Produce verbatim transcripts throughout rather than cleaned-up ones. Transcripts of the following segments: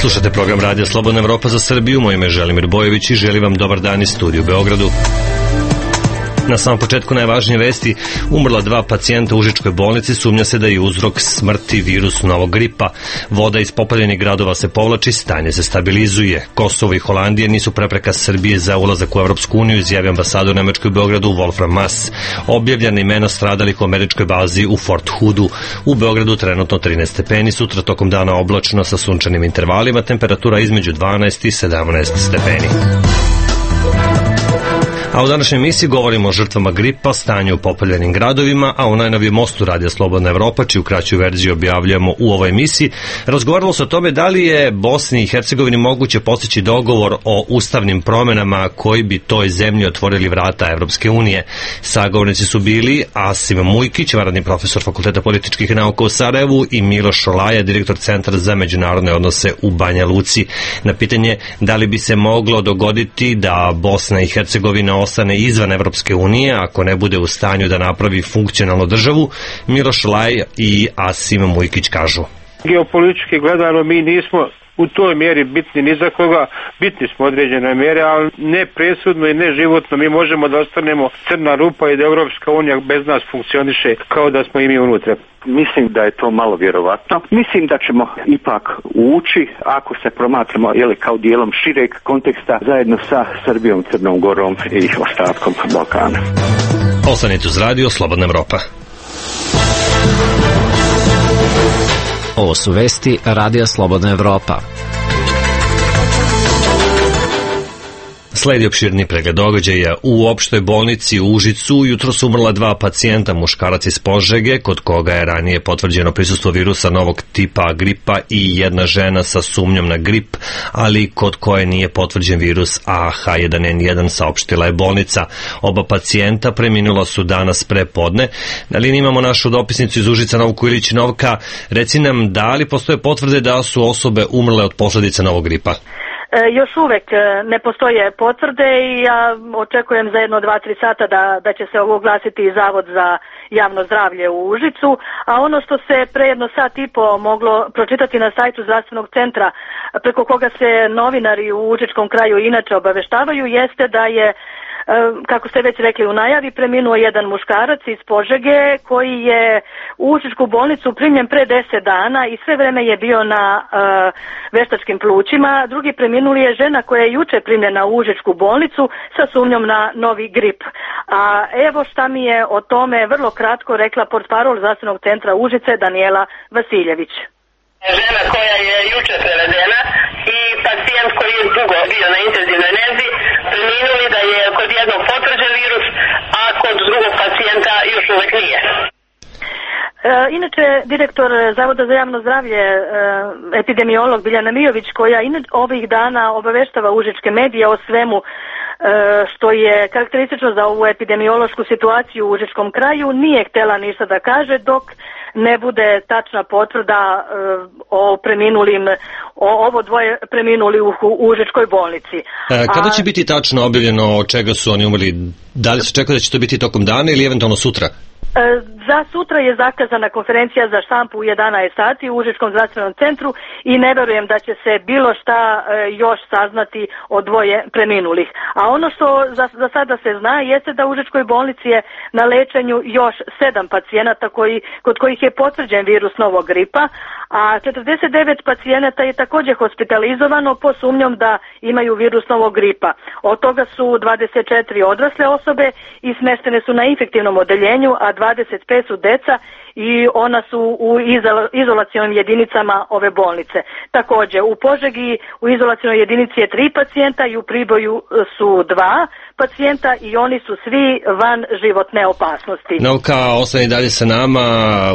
Slušate program Radija Slobodna Evropa za Srbiju. Moje ime je Želimir Bojović i želim vam dobar dan iz studiju u Beogradu. Na samom početku najvažnije vesti: umrla dva pacijenta u Užičkoj bolnici, sumnja se da je uzrok smrti virus novog gripa. Voda iz popaljenih gradova se povlači, stanje se stabilizuje. Kosovo i Holandija nisu prepreka Srbije za ulazak u Evropsku uniju, izjavio ambasador Nemačke u Beogradu Wolfram Mass. Objavljena imena stradalih u američkoj bazi u Fort Hoodu. U Beogradu trenutno trinaest stepeni, sutra tokom dana oblačno sa sunčanim intervalima, temperatura između dvanaest i sedamnaest stepeni. A u današnjoj emisiji govorimo o žrtvama gripa, stanju u popaljenim gradovima, a u najnovijem mostu Radija Slobodna Evropa, čiju kraću verziju objavljujemo u ovoj emisiji, razgovaralo se o tome da li je Bosni i Hercegovini moguće postići dogovor o ustavnim promenama koji bi toj zemlji otvorili vrata Evropske unije. Sagovornici su bili Asim Mujkić, vanredni profesor Fakulteta političkih nauka u Sarajevu, i Miloš Šolaja, direktor Centra za međunarodne odnose u Banja Luci. Na pitanje da li bi se moglo dogoditi da Bosna i Hercegovina ostane izvan Evropske unije ako ne bude u stanju da napravi funkcionalnu državu, Miloš Šolaj i Asim Mujkić kažu: geopolitički gledano mi nismo u toj mjeri bitni ni za koga, bitni smo određene mjere, ali ne presudno i ne životno. Mi možemo da ostanemo crna rupa i da Evropska unija bez nas funkcioniše kao da smo i mi unutra. Mislim da je to malo vjerovatno. Mislim da ćemo ipak ući ako se promatramo jeli, kao dijelom šireg konteksta zajedno sa Srbijom, Crnom Gorom i ostatkom Balkana. Ostanite uz Radio Slobodna Evropa. Ovo su vesti Radija Slobodna Evropa. Sledi opširni pregled događaja. U opštoj bolnici u Užicu jutro su umrla dva pacijenta, muškarac iz Požege, kod koga je ranije potvrđeno prisustvo virusa novog tipa gripa, i jedna žena sa sumnjom na grip, ali kod koje nije potvrđen virus A H jedan N jedan, saopštila je bolnica. Oba pacijenta preminula su danas pre podne. Na liniji imamo našu dopisnicu iz Užica, Novku Ilić. Novka, reci nam, da li postoje potvrde da su osobe umrle od posljedica novog gripa? Još uvek ne postoje potvrde i ja očekujem za jedno dva, tri sata da, da će se oglasiti i Zavod za javno zdravlje u Užicu, a ono što se pre jedno sat i po moglo pročitati na sajtu zdravstvenog centra, preko koga se novinari u Užičkom kraju inače obaveštavaju, jeste da je, kako ste već rekli u najavi, preminuo jedan muškarac iz Požege koji je u Užičku bolnicu primljen pre deset dana i sve vreme je bio na uh, veštačkim plućima. Drugi preminuli je žena koja je juče primljena u Užičku bolnicu sa sumnjom na novi grip. A evo šta mi je o tome vrlo kratko rekla portparol zdravstvenog centra Užice Danijela Vasiljević. Žena koja je juče prevedena i pacijent koji je dugo bio na intenzivnoj nezi, preminuli da je kod jednog potvrđen virus, a kod drugog pacijenta još uvek nije. E, inače, direktor Zavoda za javno zdravlje, e, epidemiolog Biljana Mijović, koja inače ovih dana obaveštava užičke medije o svemu e, što je karakteristično za ovu epidemiološku situaciju u Užičkom kraju, nije htjela ništa da kaže dok ne bude tačna potvrda e, o preminulim, o ovo dvoje preminuli u, u Užičkoj bolnici. E, kada će biti tačno objavljeno od čega su oni umrli? Da li se čeka da će to biti tokom dana ili eventualno sutra? Za sutra je zakazana konferencija za štampu u jedanaest sati u Užičkom zdravstvenom centru i ne verujem da će se bilo šta još saznati o dvoje preminulih. A ono što za, za sada se zna jeste da u Užičkoj bolnici je na lečenju još sedam pacijenata koji, kod kojih je potvrđen virus novog gripa, a četrdeset devet pacijenata je također hospitalizovano po sumnjom da imaju virus novog gripa. Od toga su dvadeset četiri odrasle osobe i smeštene su na infektivnom odeljenju, a dvadeset pet su deca i ona su u izolacionim jedinicama ove bolnice. Također u Požegi u izolacionoj jedinici je tri pacijenta i u Priboju su dva pacijenta i oni su svi van životne opasnosti. Novka, ostani dalje sa nama.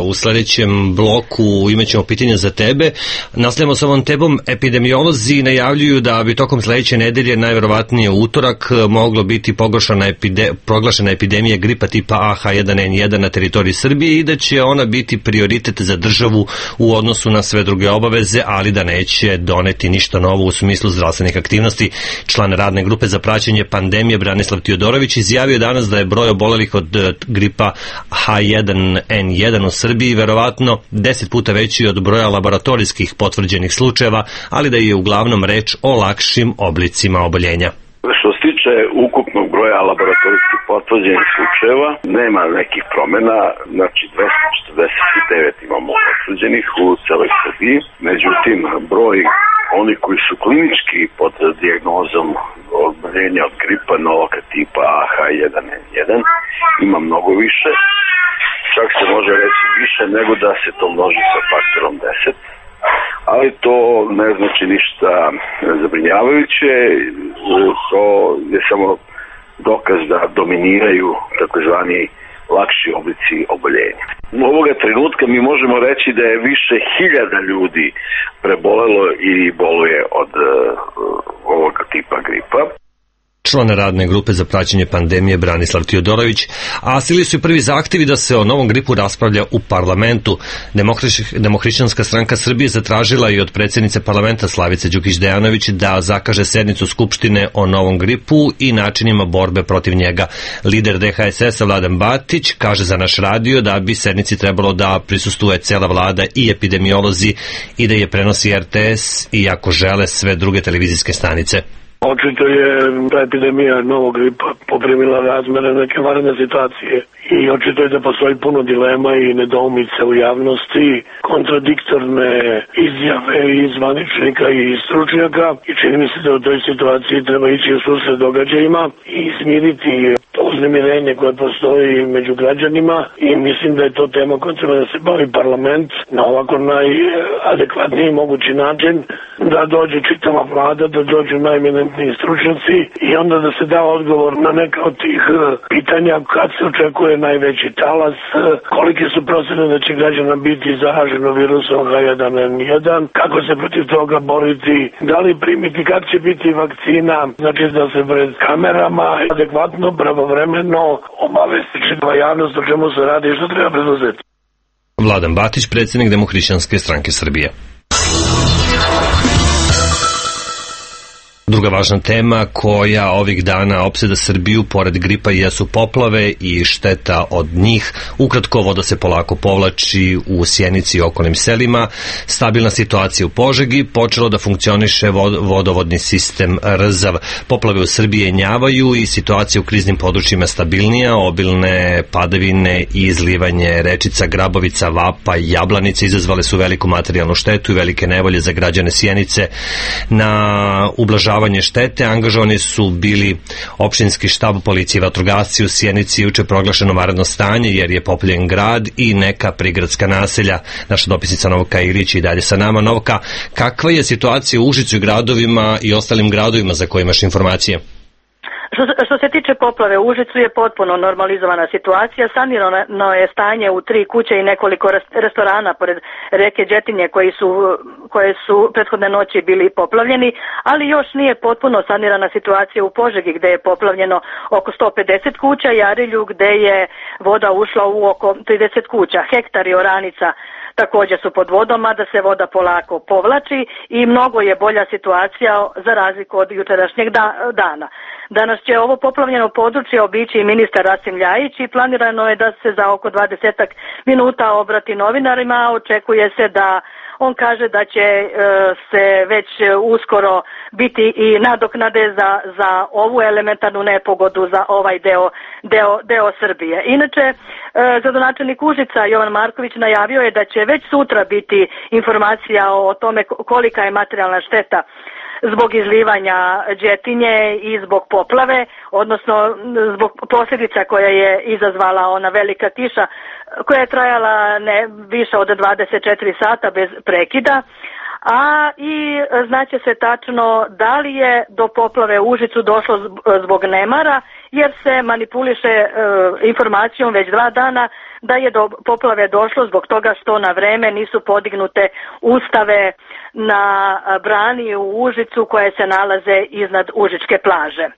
U sljedećem bloku imat ćemo pitanje za tebe. Nastavljamo sa ovom tebom. Epidemiolozi najavljuju da bi tokom sljedeće nedelje, najverovatnije u utorak, moglo biti epide, proglašena epidemija gripa tipa A H jedan N jedan na teritoriji Srbije i da će ona biti prioritet za državu u odnosu na sve druge obaveze, ali da neće doneti ništa novo u smislu zdravstvenih aktivnosti. Član radne grupe za praćenje pandemije Branislav Tiodorović izjavio danas da je broj obolelih od gripa H jedan N jedan u Srbiji verovatno deset puta veći od broja laboratorijskih potvrđenih slučajeva, ali da je uglavnom reč o lakšim oblicima oboljenja. Što se tiče ukupnog broja laboratorijskih potvrđenih slučajeva, nema nekih promjena, znači dvesta četrdeset devet imamo potvrđenih u celoj Srbiji, međutim broj oni koji su klinički pod dijagnozom oboljenja od gripa novog tipa H jedan N jedan ima mnogo više, čak se može reći više nego da se to množi sa faktorom deset. Ali to ne znači ništa zabrinjavajuće, to je samo dokaz da dominiraju takozvani lakši oblici oboljenja. U ovoga trenutka mi možemo reći da je više hiljada ljudi prebolelo i boluje od uh, ovoga tipa gripa. Član radne grupe za praćenje pandemije Branislav Tiodorović, a sili su i prvi zahtevi da se o novom gripu raspravlja u parlamentu. Demohrišćanska stranka Srbije zatražila i od predsjednice parlamenta Slavice Đukić-Dejanović da zakaže sednicu Skupštine o novom gripu i načinima borbe protiv njega. Lider D H S S-a Vladan Batić kaže za naš radio da bi sednici trebalo da prisustuje cela vlada i epidemiolozi i da je prenosi R T S, iako žele sve druge televizijske stanice. Očito je ta epidemija novog gripa poprimila razmere neke vanredne situacije i očito je da postoji puno dilema i nedoumice u javnosti, kontradiktorne izjave i zvaničnika i stručnjaka i čini mi se da u toj situaciji treba ići u susret događajima i smiriti to uznemirenje koje postoji među građanima i mislim da je to tema koja treba da se bavi parlament na ovako najadekvatniji mogući način, da dođe čitava vlada, da dođu najeminentniji stručnjaci i onda da se da odgovor na neka od tih pitanja kad se očekuje najveći talas, kolike su procene da će građana biti zaraženo virusom H jedan N jedan, kako se protiv toga boriti, da li primiti, kad će biti vakcina, znači da se pred kamerama adekvatno, pravovremeno obavesti čitava javnost o čemu se radi i što treba preduzeti. Vladan Batić, predsjednik Demohrišćanske stranke Srbije. Druga važna tema koja ovih dana opseda Srbiju pored gripa jesu poplave i šteta od njih. Ukratko, voda se polako povlači u Sjenici i okolnim selima. Stabilna situacija u Požegi, počelo da funkcioniše vodovodni sistem Rzav. Poplave u Srbiji jenjavaju i situacija u kriznim područjima stabilnija. Obilne padavine i izlivanje rečica Grabovica, Vapa i Jablanica izazvale su veliku materijalnu štetu i velike nevolje za građane Sjenice. Na ublažavanje štete angažovani su bili opštinski štab, policije i vatrogasci. U Sjenici juče proglašeno vanredno stanje jer je poplavljen grad i neka prigradska naselja. Naša dopisnica Novka Ilić i dalje sa nama. Novka, kakva je situacija u Užicu i gradovima i ostalim gradovima za koje imaš informacije? Što, što se tiče poplave u Užicu je potpuno normalizovana situacija. Sanirano je stanje u tri kuće i nekoliko restorana pored reke Đetinje koji su, koje su prethodne noći bili poplavljeni, ali još nije potpuno sanirana situacija u Požegi gde je poplavljeno oko sto pedeset kuća i Arilju gde je voda ušla u oko trideset kuća. Hektar i oranica također su pod vodom, a da se voda polako povlači i mnogo je bolja situacija za razliku od jučerašnjeg dana. Danas će ovo poplavljeno područje obići ministar Rasim Ljajić i planirano je da se za oko dvadesetak minuta obrati novinarima. Očekuje se da on kaže da će e, se već uskoro biti i nadoknade za, za ovu elementarnu nepogodu za ovaj deo, deo, deo Srbije. Inače, e, gradonačelnik Užica Jovan Marković najavio je da će već sutra biti informacija o tome kolika je materijalna šteta zbog izlivanja Đetinje i zbog poplave, odnosno zbog posljedica koja je izazvala ona velika kiša koja je trajala ne više od dvadeset četiri sata bez prekida. A i znaće se tačno da li je do poplave u Užicu došlo zbog nemara, jer se manipuliše e, informacijom već dva dana da je do poplave došlo zbog toga što na vreme nisu podignute ustave na brani u Užicu koje se nalaze iznad Užičke plaže.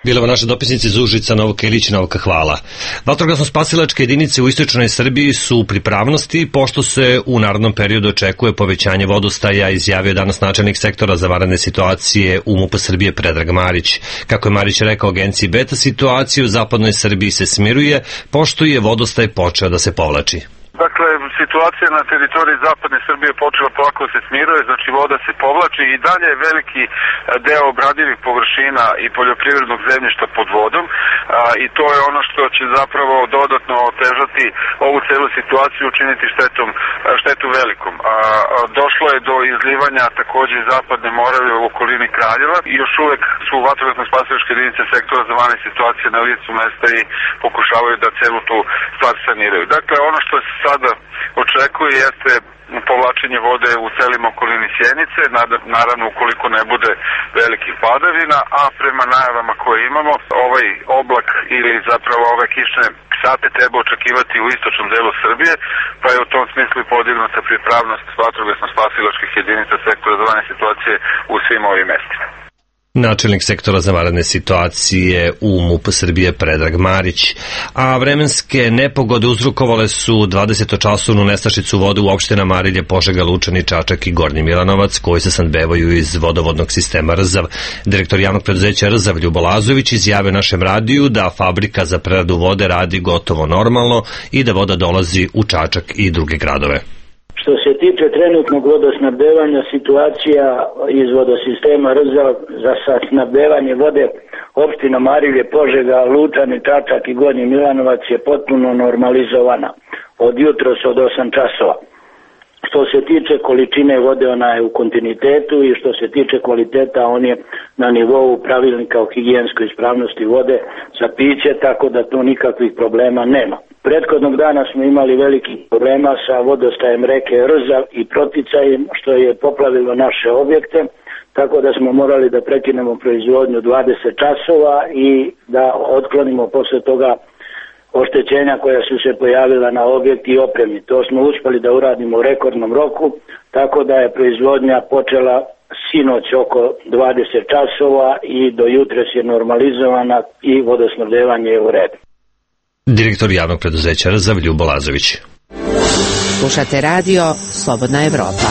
Bilova naša dopisnica iz Užica, Novka Ilić. Novka, hvala. Vatrogasno-spasilačke jedinice u istočnoj Srbiji su u pripravnosti, pošto se u narednom periodu očekuje povećanje vodostaja, izjavio danas načelnik sektora za vanredne situacije u MUP Srbije Predrag Marić. Kako je Marić rekao agenciji Beta, situacija u zapadnoj Srbiji se smiruje, pošto je vodostaj počeo da se povlači. Dakle, situacija na teritoriji zapadne Srbije počela polako se smiruje, znači voda se povlači i dalje je veliki deo obradivih površina i poljoprivrednog zemljišta pod vodom a, i to je ono što će zapravo dodatno otežati ovu celu situaciju, učiniti štetom, štetu velikom. A, a, došlo je do izlivanja takođe iz zapadne Morave u okolini Kraljeva i još uvek su vatrogasno-spasilačke jedinice sektora za vanredne situacije na licu mesta i pokušavaju da celu tu stvar saniraju. Dakle, ono što se sada očekuje jeste povlačenje vode u celim okolini Sjenice, naravno ukoliko ne bude velikih padavina, a prema najavama koje imamo, ovaj oblak ili zapravo ove kišne sate treba očekivati u istočnom delu Srbije, pa je u tom smislu podignuta pripravnost vatrogasno-spasilačkih jedinica sektora za vanredne situacije u svim ovim mestima. Načelnik sektora za vanredne situacije u MUP Srbije Predrag Marić. A vremenske nepogode uzrokovale su dvadesetočasovnu nestašicu vode u opštinama Arilje, Požega, Lučani, Čačak i Gornji Milanovac, koji se snabdevaju iz vodovodnog sistema Rzav. Direktor javnog preduzeća Rzav Ljubo Lazović izjavio našem radiju da fabrika za preradu vode radi gotovo normalno i da voda dolazi u Čačak i druge gradove. Što se tiče trenutnog vodosnabdevanja, situacija iz vodosistema Rzav za snabdevanje vode opštinom Arilje, Požega, Lučani, Čačak i Gornji Milanovac je potpuno normalizovana od jutros od osam časova. Što se tiče količine vode, ona je u kontinuitetu i što se tiče kvaliteta, on je na nivou pravilnika o higijenskoj ispravnosti vode za piće, tako da tu nikakvih problema nema. Prethodnog dana smo imali velikih problema sa vodostajem reke Rzav i proticajem, što je poplavilo naše objekte, tako da smo morali da prekinemo proizvodnju dvadeset časova i da otklonimo posle toga oštećenja koja su se pojavila na objekt i opremi. To smo uspeli da uradimo u rekordnom roku, tako da je proizvodnja počela sinoć oko dvadeset časova i do jutres je normalizovana i vodosnabdevanje je u redu. Direktor javnog preduzeća Rzav Ljubo Lazović. Slušate radio Slobodna Evropa.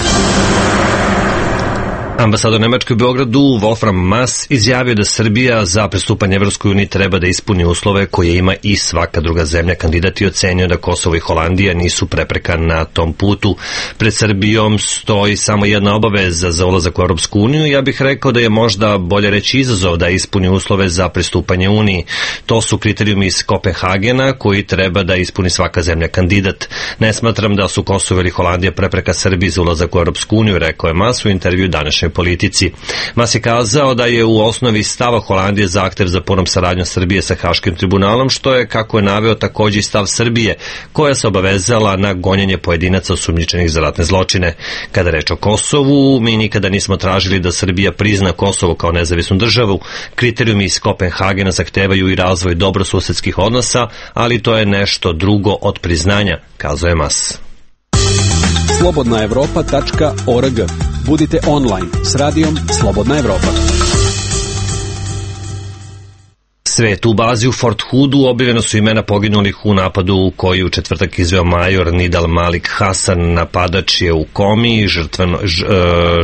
Ambasador Nemačke u Beogradu Wolfram Maass izjavio da Srbija za pristupanje Evropskoj uniji treba da ispuni uslove koje ima i svaka druga zemlja kandidat i ocenio da Kosovo i Holandija nisu prepreka na tom putu. Pred Srbijom stoji samo jedna obaveza za ulazak u Evropsku uniju. Ja bih rekao da je možda bolje reći izazov da ispuni uslove za pristupanje Uniji. To su kriterijumi iz Kopenhagena koji treba da ispuni svaka zemlja kandidat. Ne smatram da su Kosovo ili Holandija prepreka Srbiji za ulazak u Evropsku uniju, rekao je Maass u intervju današnjoj Politici. Maass je kazao da je u osnovi stava Holandije zahtev za punom saradnjom Srbije sa Haškim tribunalom, što je, kako je naveo, takođe i stav Srbije, koja se obavezala na gonjenje pojedinaca osumnjičenih za ratne zločine. Kada reč o Kosovu, mi nikada nismo tražili da Srbija prizna Kosovo kao nezavisnu državu. Kriterijumi iz Kopenhagena zahtevaju i razvoj dobrosusedskih odnosa, ali to je nešto drugo od priznanja, kazao je Maass. slobodna evropa tačka org. Budite online s radijom Slobodna Evropa. Svet u bazi u Fort Hoodu objavljeno su imena poginulih u napadu koji u četvrtak izveo major Nidal Malik Hasan. Napadač je u komi, žrtveno, ž, e,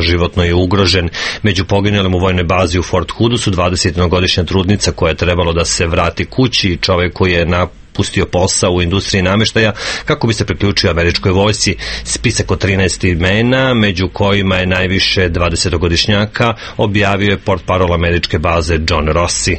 životno je ugrožen. Među poginulim u vojnoj bazi u Fort Hoodu su dvadesetjednogodišnja trudnica koja je trebalo da se vrati kući i čovek koji je na pustio posao u industriji nameštaja kako bi se priključio američkoj vojsci. Spisak od trinaest imena, među kojima je najviše dvadesetogodišnjaka, objavio je portparol američke baze John Rossi.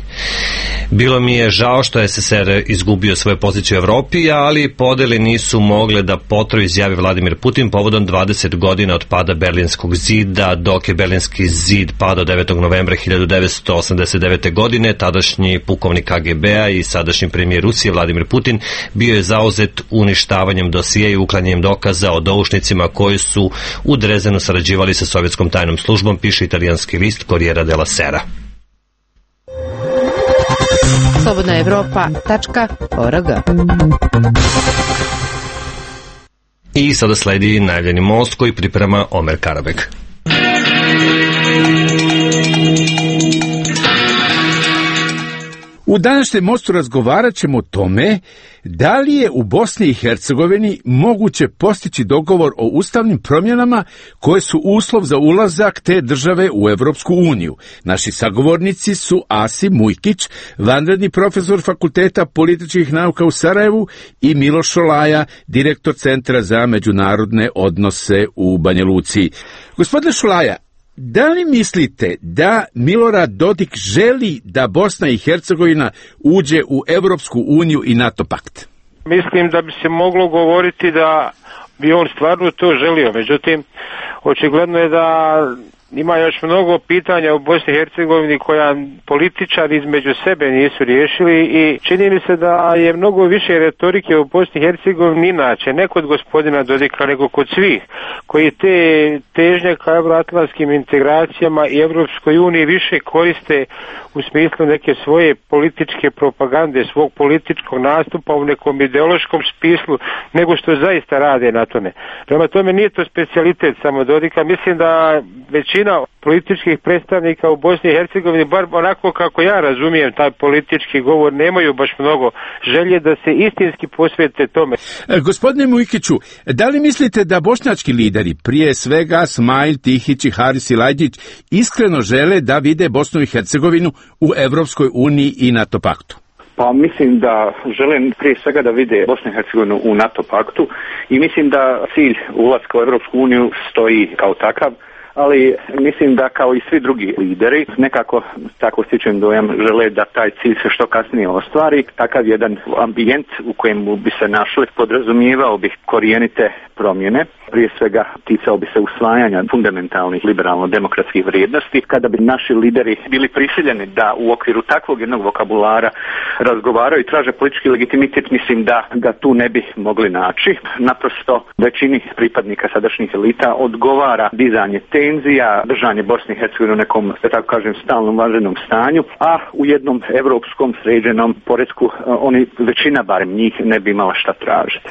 Bilo mi je žao što je es es er izgubio svoju poziciju u Evropi, ali podele nisu mogle da potraju, izjavi Vladimir Putin povodom dvadeset godina od pada Berlinskog zida. Dok je Berlinski zid padao devetog novembra hiljadu devetsto osamdeset devete. godine, tadašnji pukovnik ka ge be a i sadašnji premijer Rusije Vladimir Putin bio je zauzet uništavanjem dosije i uklanjanjem dokaza o doušnicima koji su u Drezenu sarađivali sa sovjetskom tajnom službom, piše italijanski list Corriere della Sera. slobodna evropa tačka org. I sada sledi najavljeni most koji priprema Omer Karabek. U današnjem mostu razgovarat ćemo o tome da li je u Bosni i Hercegovini moguće postići dogovor o ustavnim promjenama koje su uslov za ulazak te države u Evropsku uniju. Naši sagovornici su Asim Mujkić, vanredni profesor Fakulteta političkih nauka u Sarajevu, i Miloš Šolaja, direktor Centra za međunarodne odnose u Banja Luci. Gospodine Šolaja, da li mislite da Milorad Dodik želi da Bosna i Hercegovina uđe u Evropsku uniju i NATO pakt? Mislim da bi se moglo govoriti da bi on stvarno to želio, međutim, očigledno je da ima još mnogo pitanja u Bosni i Hercegovini koja političari između sebe nisu riješili i čini mi se da je mnogo više retorike u Bosni i Hercegovini inače, ne kod gospodina Dodika, nego kod svih, koji te težnje ka evroatlantskim integracijama i Evropskoj uniji više koriste u smislu neke svoje političke propagande, svog političkog nastupa u nekom ideološkom smislu, nego što zaista rade na tome. Prema tome nije to specijalitet samo Dodika, mislim da većina političkih predstavnika u Bosni i Hercegovini, bar onako kako ja razumijem taj politički govor, nemaju baš mnogo želje da se istinski posvete tome. E, gospodine Mujkiću, da li mislite da bošnjački lideri, prije svega Smail, Tihić i Haris Ilajđić, iskreno žele da vide Bosnu i Hercegovinu u Evropskoj uniji i NATO paktu? Pa mislim da želim prije svega da vide Bosnu i Hercegovinu u NATO paktu i mislim da cilj ulaska u Evropsku uniju stoji kao takav, ali mislim da kao i svi drugi lideri, nekako tako stičem dojam, žele da taj cilj se što kasnije ostvari. Takav jedan ambijent u kojemu bi se našli podrazumijevao bi korijenite promjene. Prije svega ticao bi se usvajanja fundamentalnih liberalno-demokratskih vrijednosti. Kada bi naši lideri bili prisiljeni da u okviru takvog jednog vokabulara razgovaraju i traže politički legitimitet, mislim da ga tu ne bi mogli naći. Naprosto većini pripadnika sadašnjih elita odgovara dizanje tenzija, držanje Bosne i Hercegovine u nekom, da tako kažem, stalnom vanrednom stanju, a u jednom evropskom sređenom poretku oni, većina barem njih, ne bi imala šta tražiti.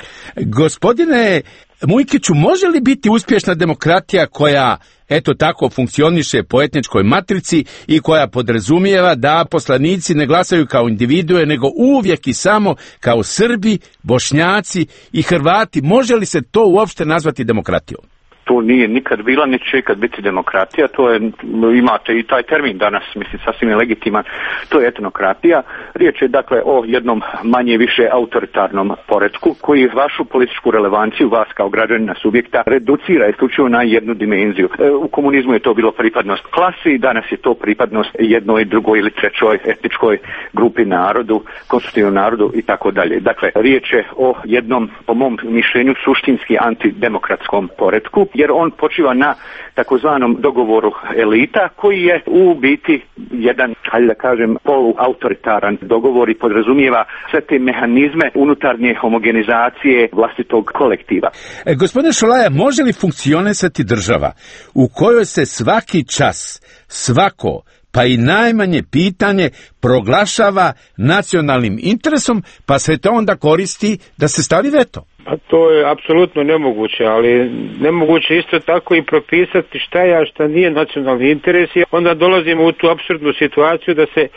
Gospodine Mujkiću, može li biti uspješna demokratija koja, eto tako, funkcioniše po etničkoj matrici i koja podrazumijeva da poslanici ne glasaju kao individue, nego uvijek i samo kao Srbi, Bošnjaci i Hrvati? Može li se to uopšte nazvati demokratijom? To nije nikad bila, neće ikad biti demokratija, to je, imate i taj termin danas, mislim, sasvim je legitiman, to je etnokratija. Riječ je dakle o jednom manje više autoritarnom poretku koji vašu političku relevanciju, vas kao građanina subjekta, reducira isključivo na jednu dimenziju. E, u komunizmu je to bilo pripadnost klasi, danas je to pripadnost jednoj, drugoj ili trećoj etničkoj grupi narodu, konstitutivnom narodu i tako dalje. Dakle, riječ je o jednom, po mom mišljenju, suštinski antidemokratskom poretku, jer on počiva na takozvanom dogovoru elita koji je u biti jedan, hajde da kažem, poluautoritaran dogovor i podrazumijeva sve te mehanizme unutarnje homogenizacije vlastitog kolektiva. E, gospodine Šolaja, može li funkcionisati država u kojoj se svaki čas, svako, pa i najmanje pitanje proglašava nacionalnim interesom, pa se to onda koristi da se stavi veto? Pa to je apsolutno nemoguće, ali nemoguće isto tako i propisati šta je, a šta nije nacionalni interes. Onda dolazimo u tu apsurdnu situaciju da se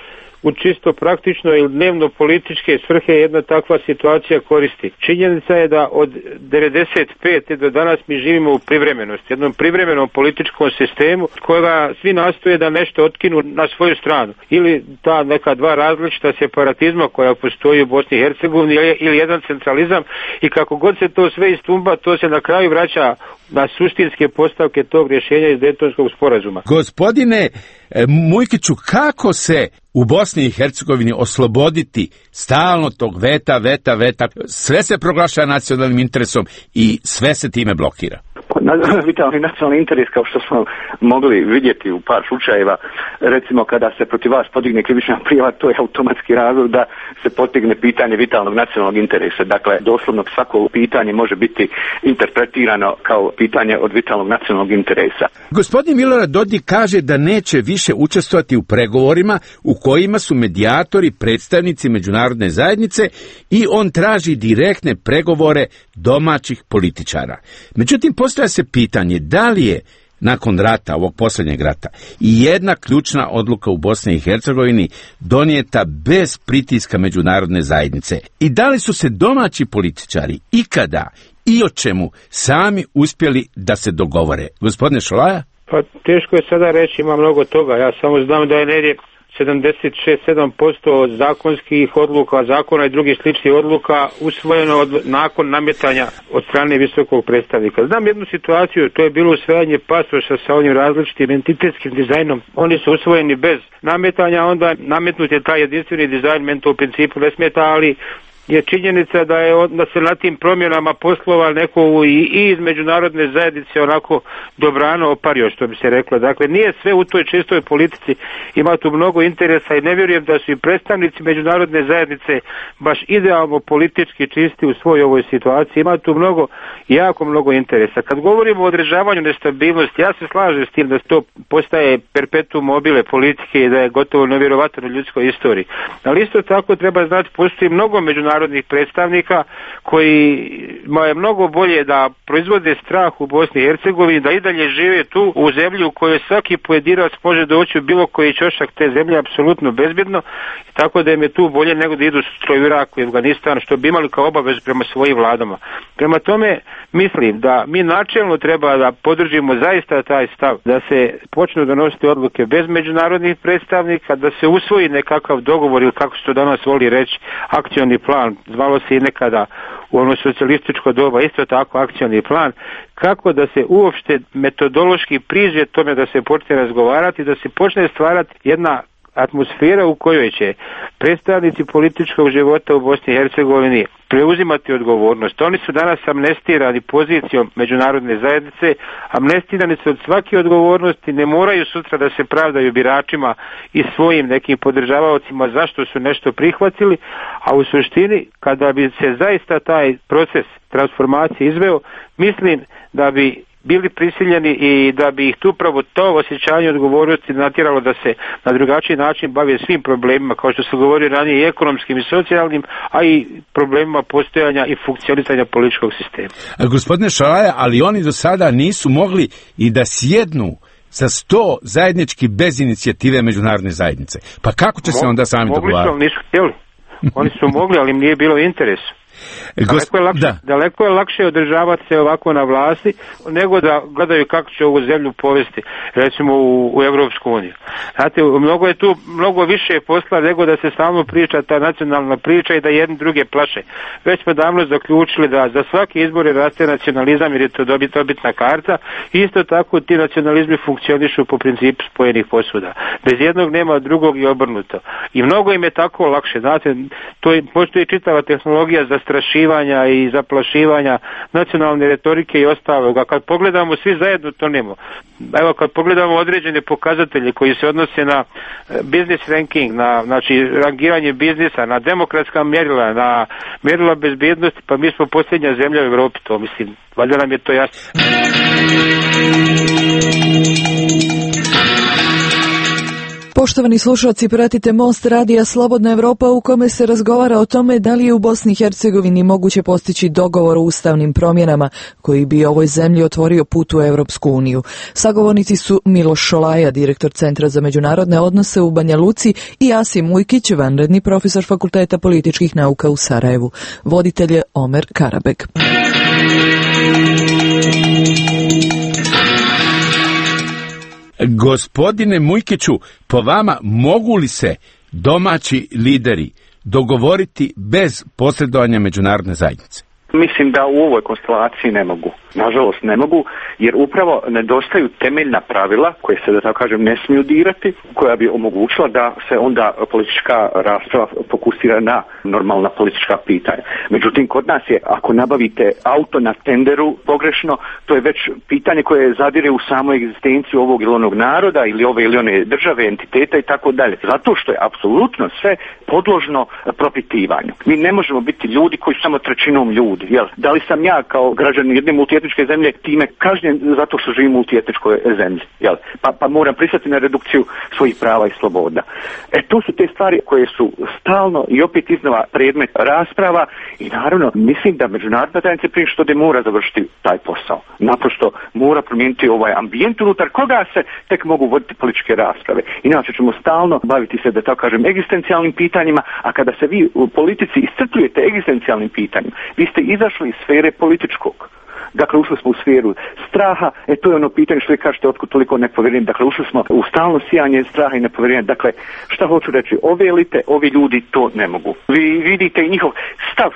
u čisto praktično ili dnevno političke svrhe jedna takva situacija koristi. Činjenica je da od devedeset pete do danas mi živimo u privremenosti, jednom privremenom političkom sistemu kojega svi nastoje da nešto otkinu na svoju stranu. Ili ta neka dva različita separatizma koja postoji u Bosni i Hercegovini ili jedan centralizam, i kako god se to sve istumba, to se na kraju vraća na suštinske postavke tog rješenja iz Daytonskog sporazuma. Gospodine Mujkiću, kako se u Bosni i Hercegovini osloboditi stalno tog veta, veta, veta? Sve se proglašava nacionalnim interesom i sve se time blokira. Vitalni nacionalni interes, kao što smo mogli vidjeti u par slučajeva, recimo kada se protiv vas podigne krivična prijava, to je automatski razlog da se postigne pitanje vitalnog nacionalnog interesa. Dakle, doslovno svako pitanje može biti interpretirano kao pitanje od vitalnog nacionalnog interesa. Gospodin Milorad Dodik kaže da neće više učestvovati u pregovorima u kojima su medijatori predstavnici međunarodne zajednice i on traži direktne pregovore domaćih političara. Međutim, postoja se pitanje da li je nakon rata, ovog posljednjeg rata, i jedna ključna odluka u Bosni i Hercegovini donijeta bez pritiska međunarodne zajednice. I da li su se domaći političari ikada i o čemu sami uspjeli da se dogovore? Gospodine Šolaja? Pa teško je sada reći, ima mnogo toga. Ja samo znam da je negdje sedamdeset šest do sedam posto zakonskih odluka, zakona i drugih sličnih odluka usvojeno od, nakon nametanja od strane visokog predstavnika. Znam jednu situaciju, to je bilo usvajanje pasoša sa ovim različitim entitetskim dizajnom. Oni su usvojeni bez nametanja, onda nametnut je taj jedinstveni dizajn, meni to u principu ne smeta, ali je činjenica da je da se na tim promjenama poslova neko i, i iz međunarodne zajednice onako dobrano opario, što bi se reklo. Dakle, nije sve u toj čistoj politici, ima tu mnogo interesa i ne vjerujem da su i predstavnici međunarodne zajednice baš idealno politički čisti u svojoj ovoj situaciji. Ima tu mnogo, jako mnogo interesa. Kad govorimo o održavanju nestabilnosti, ja se slažem s tim da to postaje perpetuum mobile politike i da je gotovo nevjerovatno u ljudskoj istoriji. Ali isto tako treba znati, postoji mnogo međunarodnih narodnih predstavnika kojima je mnogo bolje da proizvode strah u Bosni i Hercegovini, da i dalje žive tu u zemlji u kojoj svaki pojedinac može doći u bilo koji ćošak te zemlje apsolutno bezbjedno, tako da im je tu bolje nego da idu sutra u Iraku i Afganistan, što bi imali kao obavezu prema svojim vladama. Prema tome mislim da mi načelno treba da podržimo zaista taj stav, da se počnu donositi odluke bez međunarodnih predstavnika, da se usvoji nekakav dogovor ili kako se to danas voli reći akcioni plan, zvalo se i nekada u ono socijalističko doba isto tako akcioni plan, kako da se uopšte metodološki priđe tome da se počne razgovarati, da se počne stvarati jedna atmosfera u kojoj će predstavnici političkog života u Bosni i Hercegovini preuzimati odgovornost. Oni su danas amnestirani pozicijom međunarodne zajednice, amnestirani su od svake odgovornosti, ne moraju sutra da se pravdaju biračima i svojim nekim podržavaocima zašto su nešto prihvatili, a u suštini kada bi se zaista taj proces transformacije izveo, mislim da bi bili prisiljeni i da bi ih tu upravo to osjećanje odgovornosti natjeralo da se na drugačiji način bave svim problemima, kao što se govori ranije, i ekonomskim i socijalnim, a i problemima postojanja i funkcionisanja političkog sistema. A gospodine Šalaja, ali oni do sada nisu mogli i da sjednu sa sto zajednički bez inicijative međunarodne zajednice. Pa kako će se onda sami dogovarati? Mogli su, nisu htjeli. Oni su mogli, ali im nije bilo interesu. Daleko je, lakše, da. daleko je lakše održavati se ovako na vlasti nego da gledaju kako će ovu zemlju povesti, recimo u, u Evropsku uniju. Znate, mnogo je tu mnogo više posla nego da se stalno priča ta nacionalna priča i da jedni druge plaše. Već smo davno zaključili da za svaki izbor raste nacionalizam jer je to dobit, dobitna karta. Isto tako ti nacionalizmi funkcionišu po principu spojenih posuda. Bez jednog nema drugog i obrnuto. I mnogo im je tako lakše. Znate, to je, postoji čitava tehnologija za strašivanja i zaplašivanja nacionalne retorike i ostaloga. Kad pogledamo svi zajedno to nemo. Evo kad pogledamo određene pokazatelje koji se odnose na business ranking, na znači rangiranje biznisa, na demokratska mjerila, na mjerila bezbjednosti, pa mi smo posljednja zemlja u Europi, to mislim, valjda nam je to jasno. Poštovani slušalci, pratite Most radija Slobodna Evropa u kome se razgovara o tome da li je u Bosni i Hercegovini moguće postići dogovor o ustavnim promjenama koji bi ovoj zemlji otvorio put u Europsku uniju. Sagovornici su Miloš Šolaja, direktor Centra za međunarodne odnose u Banja Luci, i Asim Ujkić, vanredni profesor Fakulteta političkih nauka u Sarajevu. Voditelj je Omer Karabek. Gospodine Mujkiću, po vama mogu li se domaći lideri dogovoriti bez posredovanja međunarodne zajednice? Mislim da u ovoj konstelaciji ne mogu. Nažalost ne mogu, jer upravo nedostaju temeljna pravila koje se, da tako kažem, ne smiju dirati, koja bi omogućila da se onda politička rasprava fokusira na normalna politička pitanja. Međutim, kod nas je, ako nabavite auto na tenderu pogrešno, to je već pitanje koje zadire u samu egzistenciju ovog ili onog naroda ili ove ili one države, entiteta i tako dalje. Zato što je apsolutno sve podložno propitivanju. Mi ne možemo biti ljudi koji su samo trećinom ljudi. ljudi, jel? Da li sam ja kao građanin jedne multietničke zemlje time kažnjen zato što živim u multietničkoj zemlji, jel? Pa, pa moram pristati na redukciju svojih prava i sloboda. E, to su te stvari koje su stalno i opet iznova predmet rasprava i naravno mislim da međunarodna zajednica prije što de mora završiti taj posao. Naprosto mora promijeniti ovaj ambijent unutar koga se tek mogu voditi političke rasprave. Inače ćemo stalno baviti se, da tako kažem, egzistencijalnim pitanjima, a kada se vi u politici iscrpljujete egzistencijalnim pitanjima, vi ste izašli iz sfere političkog. Dakle, ušli smo u sferu straha, e to je ono pitanje što vi kažete, otkud toliko nepovjerenja. Dakle, ušli smo u stalno sijanje straha i nepovjerenja. Dakle, šta hoću reći, ove elite, ovi ljudi to ne mogu. Vi vidite i njihov stav.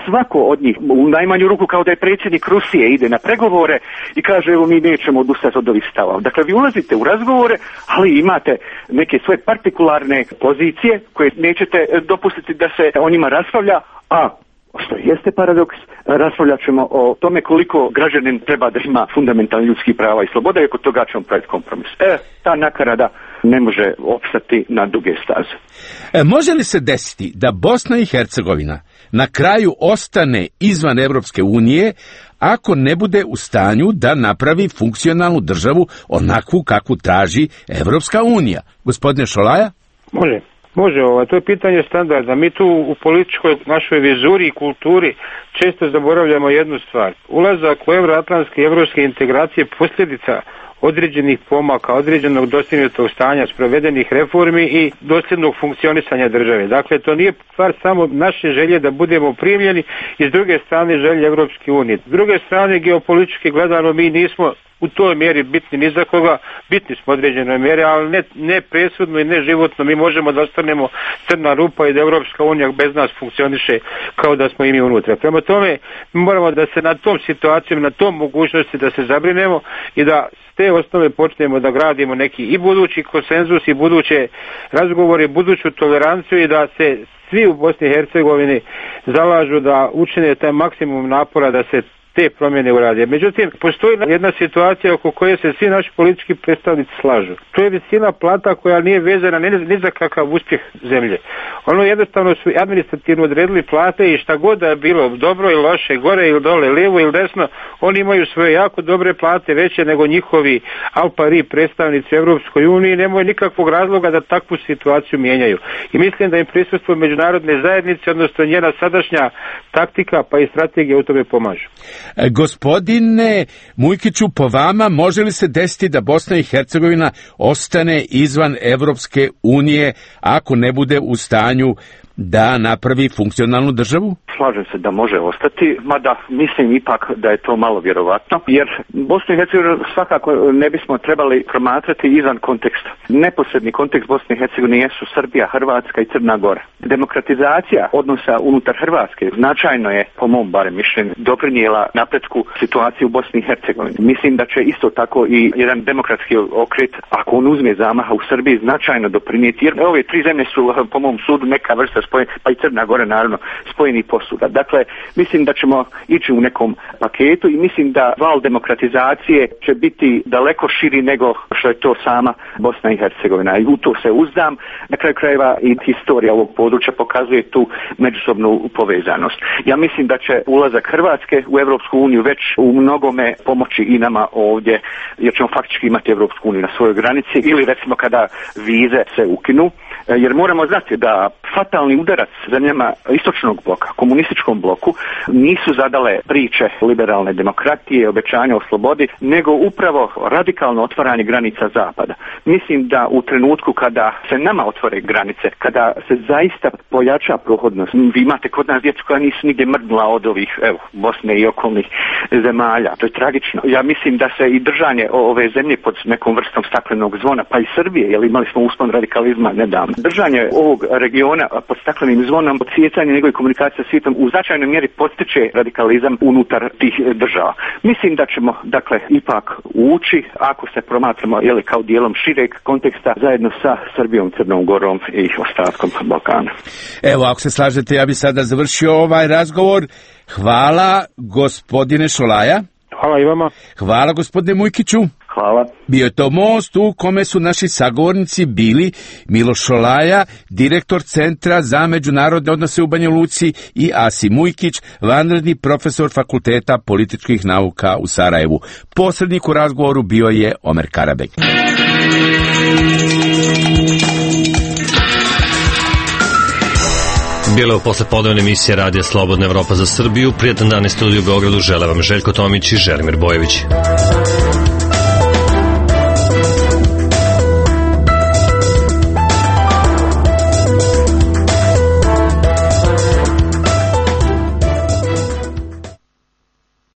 Svako od njih, u najmanju ruku kao da je predsjednik Rusije, ide na pregovore i kaže evo mi nećemo odustati od ovih stavova. Dakle, vi ulazite u razgovore, ali imate neke svoje partikularne pozicije koje nećete dopustiti da se o njima raspravlja, a što jeste paradoks, raspravljat ćemo o tome koliko građanin treba da ima fundamentalni ljudski prava i sloboda i oko toga ćemo praviti kompromis. E, ta nakarada ne može opstati na duge staze. E, može li se desiti da Bosna i Hercegovina na kraju ostane izvan Evropske unije ako ne bude u stanju da napravi funkcionalnu državu onakvu kakvu traži Evropska unija? Gospodine Šolaja? Može. Može, ovo, to je pitanje standarda. Mi tu u političkoj našoj vizuri i kulturi često zaboravljamo jednu stvar. Ulazak u euroatlantske i evropske integracije posljedica određenih pomaka, određenog dostignutog stanja, sprovedenih reformi i dosljednog funkcionisanja države. Dakle, to nije stvar samo naše želje da budemo primljeni i s druge strane želje Evropske unije. S druge strane, geopolitički gledano, mi nismo u toj mjeri bitni ni za koga, bitni smo određenoj mjeri, ali ne, ne presudno i ne životno. Mi možemo da ostanemo crna rupa i da Evropska unija bez nas funkcioniše kao da smo i mi unutra. Prema tome, mi moramo da se na tom situacijom, na tom mogućnosti da se zabrinemo i da s te osnove počnemo da gradimo neki i budući konsenzus i buduće razgovore, buduću toleranciju i da se svi u Bosni i Hercegovini zalažu da učine taj maksimum napora da se te promjene urade. Međutim, postoji jedna situacija oko koje se svi naši politički predstavnici slažu. To je visina plata koja nije vezana ni, ni za kakav uspjeh zemlje. Ono jednostavno su administrativno odredili plate i šta god da je bilo dobro ili loše, gore ili dole, lijevo ili desno, oni imaju svoje jako dobre plate, veće nego njihovi al pari predstavnici Evropskoj uniji, nemaju nikakvog razloga da takvu situaciju mijenjaju. I mislim da im prisustvo međunarodne zajednice, odnosno njena sadašnja taktika pa i strategija u tome pomažu. Gospodine Mujkiću, po vama može li se desiti da Bosna i Hercegovina ostane izvan Evropske unije ako ne bude u stanju da napravi funkcionalnu državu? Slažem se da može ostati, mada mislim ipak da je to malo vjerovatno, jer Bosnu i Hercegovinu svakako ne bismo trebali promatrati izvan konteksta. Neposredni kontekst Bosne i Hercegovine jesu Srbija, Hrvatska i Crna Gora. Demokratizacija odnosa unutar Hrvatske značajno je, po mom barem mišljenju, doprinijela napretku situacije u Bosni i Hercegovini. Mislim da će isto tako i jedan demokratski okret, ako on uzme zamaha u Srbiji, značajno doprinijeti, jer ove tri zemlje su, po mom sudu, neka vrsta spojen, pa i Crna Gora naravno spojeni posuda. Dakle, mislim da ćemo ići u nekom paketu i mislim da val demokratizacije će biti daleko širi nego što je to sama Bosna i Hercegovina. I u to se uzdam. Na kraju krajeva i historija ovog područja pokazuje tu međusobnu povezanost. Ja mislim da će ulazak Hrvatske u Evropsku uniju već u mnogome pomoći i nama ovdje, jer ćemo faktički imati Evropsku uniju na svojoj granici ili recimo kada vize se ukinu. Jer moramo znati da fatalni udarac zemljama istočnog bloka, komunističkom bloku, nisu zadale priče liberalne demokratije, obećanja o slobodi, nego upravo radikalno otvaranje granica zapada. Mislim da u trenutku kada se nama otvore granice, kada se zaista pojača prohodnost, vi imate kod nas djecu koja nisu nigdje mrdnula od ovih, evo, Bosne i okolnih zemalja. To je tragično. Ja mislim da se i držanje ove zemlje pod nekom vrstom staklenog zvona, pa i Srbije, jer imali smo uspon radikalizma nedavno. Držanje ovog regiona pod staklenim zvonom, odsjecanje njegove komunikacije sa svijetom u značajnoj mjeri potiče radikalizam unutar tih država. Mislim da ćemo, dakle, ipak ući, ako se promatramo, jeli, kao dijelom šireg konteksta, zajedno sa Srbijom, Crnom Gorom i ostatkom Balkana. Evo, ako se slažete, ja bi sada završio ovaj razgovor. Hvala, gospodine Šolaja. Hvala i vama. Hvala, gospodine Mujkiću. Hvala. Bio je to most u kome su naši sagovornici bili Miloš Šolaja, direktor Centra za međunarodne odnose u Banja Luci, i Asim Mujkić, vanredni profesor Fakulteta političkih nauka u Sarajevu. Posrednik u razgovoru bio je Omer Karabek. Bilo je u poslepodnevne emisije Radija Slobodna Evropa za Srbiju. Prijatan dan iz studiju u Beogradu žele vam Željko Tomić i Želimir Bojević.